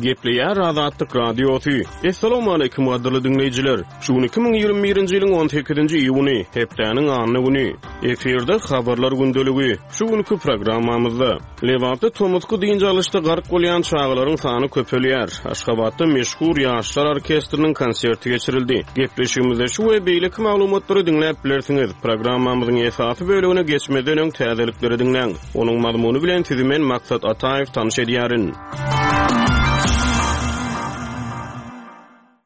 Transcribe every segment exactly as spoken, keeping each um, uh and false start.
Gepleýär Azatlyk Radiosy. Assalamualaikum gadyrly diňleýjiler. Şu gün iki müň ýigrimi birinji ýylyň on sekizinji iýuny, hepdäniň anna güni. Efirde habarlar gündeligi. Şu günki programmamyzda Lebapda tomusky dynç alyşda gark bolýan çagalaryň sany köpelýär. Aşgabatda meşhur ýaşlar orkestriniň konserti geçirildi. Gepleşigimizde şu we beýleki maglumatlary diňläp bilersiňiz. Programmamyzyň esasy bölümine geçmeden öň täzelikleri diňläň. Onuň mazmuny bilen sizi men Maksat Ataýew tanyş edýärin.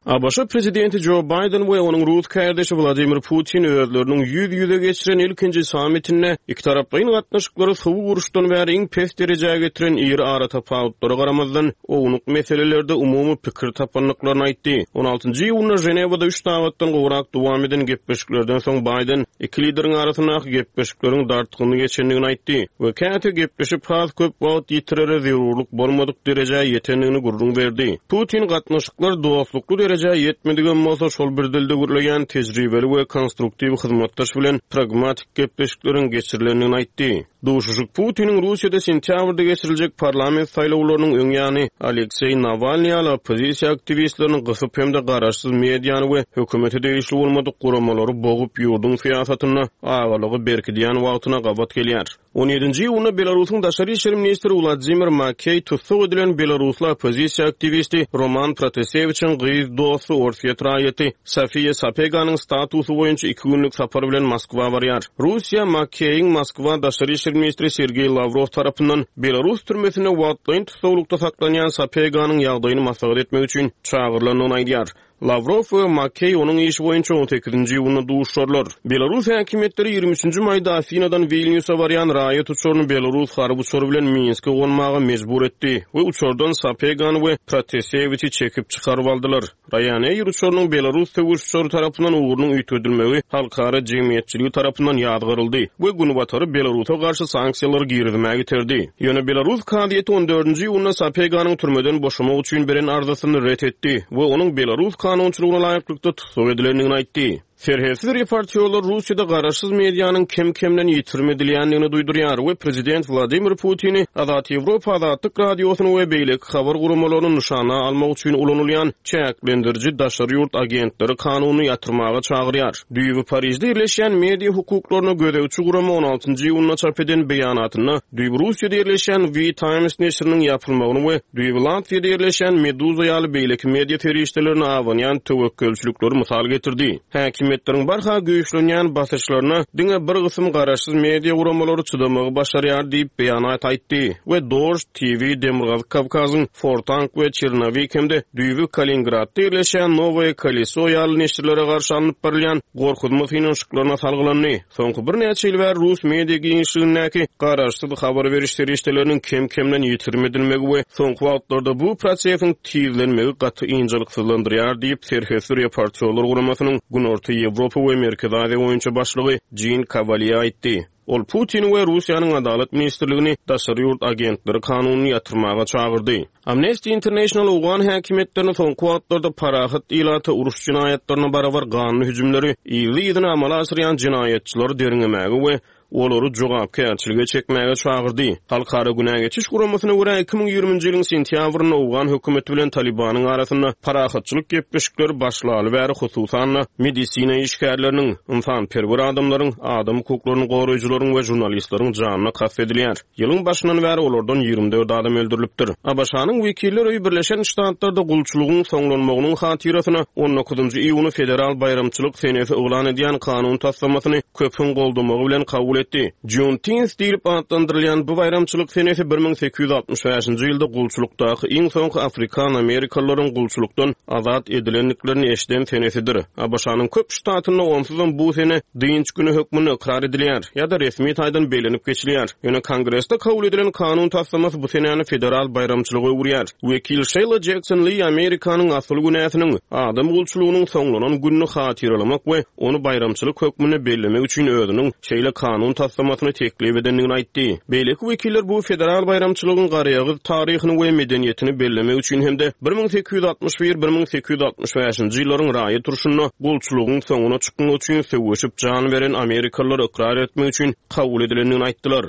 A B Ş prezidenti Joe Biden we onuň rus kardeşi Vladimir Putin özleriniň ýüz-ýüze geçiren ilkinji sammitinde iki taraplaýyn gatnaşyklary soňky uruşdan bäri iň pes derejä getiren iri ara tapawutlara garamazdan ownuk meselelerde umumy pikir tapandyklaryny aýtdy. on altynjy iýunda Ženewada üç sagatdan gowrak dowam eden gepleşiklerden soň Biden iki lideriň arasyndaky gepleşikleriň dartgynly geçendigini aýtdy we käte gepleşip has köp wagt ýitirere zerurlyk bolmadyk derejä ýetendigini gürrüň berdi. Putin gatnaşyklar dostlukly derejä ýetmedigem bolsa şol bir dilde gürleýän tejribeli we konstruktiw hyzmatdaş bilen pragmatik gepleşikleriň geçirilendigini aýtdy. Duşuşyk Putiniň Russiýada sentýabrda geçiriljek parlament saýlawlarynyň öň ýany Alekseý Nawalnyý ýaly oppozisiýa aktiwistlerini gysyp hem-de garaşsyz mediany we hökümete degişli bolmadyk guramalary bogup ýurduň syýasatynda agalygy berkidýän wagtyna gabat gelýär. on ýedinji iýunda Belarusyň daşary işler ministri Wladimir Makey tussag edilen belarusly oppozisiýa aktiwisti Roman Protasewiçiň gyz dosty Orsýet raýaty Sofiýa Sapeganyň statusy boýunça iki günlük sapar bilen Moskwa barýar. Russiýa Makeýiň Moskwa daşary işler ministri Sergeý Lavrov tarapyndan Belarus türmesinde wagtlaýyn tussaglykda saklanýan Sapeganyň ýagdaýyny maslahat etmek üçin çagyrylandygyny aýdýar. Lavrov we Makey onuň işi boýunça on sekizinji iýunda duşarlar. Belarus häkimiýetleri ýigrimi üçünji maýda Afinadan Vilniusa barýan raýat uçaryny Belarus harby uçary bilen Minske gonmaga mejbur etdi we uçardan Sapegany we Protasewiçi çekip çykaryp aldylar. Ryanair uçarynyň Belarus söweş uçary tarapyndan ugrunyň üýtgedilmegi halkara jemgyýetçiligi tarapyndan ýazgaryldy we günbatary Belarusa garşy sanksiýalary girizmäge iterdi. Ýöne Belarus kazyýeti on dördünji iýunda Sapeganyň türmeden boşamak üçin beren arzasyny ret etdi we onuň Belarus kanunçylygyna laýyklykda tussag edilendigini aýtdy. Serhetsiz reportýorlar Russiýada garaşsyz medianyň kem-kemden ýitirim edilýändigini duýdurýar we prezident Wladimir Putini Azat Ýewropa Azatlyk Radiosyny we beýleki habar guramalaryny nyşana almak üçin ulanylýan çäklendiriji daşary ýurt agentleri kanunyny ýatyrmaga çagyrýar. Düýbi Parižde ýerleşýän media hukuklaryna gözegçi gurama on altynjy iýunda çap eden beýanatynda düýbi Russiýada ýerleşýän V Times neşiriniň ýapylmagyny we düýbi Latwiýada ýerleşýän Meduza ýaly beýleki media serişdelerini abanýan töwekgelçilikleri mysal getirdi. Häkimiýetleriň barha güýçlenýän basyşlaryna diňe bir gysym garaşsyz media guramalary çydamagy başarýar diýip beýanat aýtdy we Dož T V Demirgazyk Kawkazyň Fortank we Çernowik hem-de düýbi Kaliningradda ýerleşýän Nowoe Koleso ýaly neşirlere garşy alnyp barylýan gorkuzma synanyşyklaryna salgylandy. Soňky birnäçe ýyl bäri rus media giňişligindäki garaşsyz habar beriş serişdeleriniň kem-kemden ýitirim edilmegi we soňky wagtlarda bu prosesiň tizlenmegi gaty ynjalyksyzlandyrýar diýip Serhetsiz reportýorlar guramasynyň Günorta Ýewropa we Merkezi Aziýa boýunça başlygy Jean Cavalier aýtdy. Ol Putin we Russiýanyň Adalat ministrligini daşary ýurt agentleri kanunyny ýatyrmaga çagyrdy. Amnesty International Owgan häkimiýetlerini soňky wagtlarda parahat ilata uruş jenaýatlaryna barabar ganly hüjümleri yzly-yzyna amala aşyrýan jenaýatçylary derňemäge we olary jogapkärçilige çekmäge çagyrdy. Halkara günä geçiş guramasyna görä iki müň ýigriminji ýylyň sentýabrynda Owgan hökümeti bilen Talibanyň arasynda parahatçylyk gepleşikleri başlaly bäri hususan-da medisina işgärleriniň, ynsanperwer adamlaryň, adam hukuklaryny goraýjylaryň we žurnalistleriň janyna kast edilýär. Ýylyň başyndan bäri olardan ýigrimi dört adam öldürilipdir. A B Ş-nyň wekiller öýi Birleşen Ştatlarda gulçulygyň soňlanmagynyň hatyrasyna on dokuzynjy iýuny federal baýramçylyk senesi yglan edýän kanun taslamasyny köpüň goldamagy bilen kabul etdi. Juneteenth diýlip atlandyrylýan bu baýramçylyk senesi bir müň sekiz ýüz altmyş bäşinji ýylda gulçulykdaky iň soňky Afrikan Amerikalylaryň gulçulykdan azat edilendiklerini eşiden senesidir. A B Ş-nyň köp ştatynda onsuzam bu sene dynç günü hökmünde ykrar edilýär ýa-da resmi taýdan bellenip geçilýär. Ýöne Kongresde kabul edilen kanun taslamasy bu senäni federal baýramçylyga öwürýär. Wekil Sheila Jackson Lee Amerikanyň asyl günäsiniň adam gulçulygynyň soňlanan gününi hatyralamak we ony baýramçylyk hökmünde bellemek üçin özüniň şeýle kanun taslamasyny teklip edendigini aýtdy. Beýleki wekiller bu federal baýramçylygyň garaýagyz taryhyny we medeniýetini bellemek üçin hem-de bir müň sekiz ýüz altmyş bir, bir müň sekiz ýüz altmyş bäşinji ýyllaryň raýat urşunda gulçulygyň soňuna çykmak üçin söweşip jan beren Amerikalylar ykrar etmek üçin kabul edilendigini aýtdylar.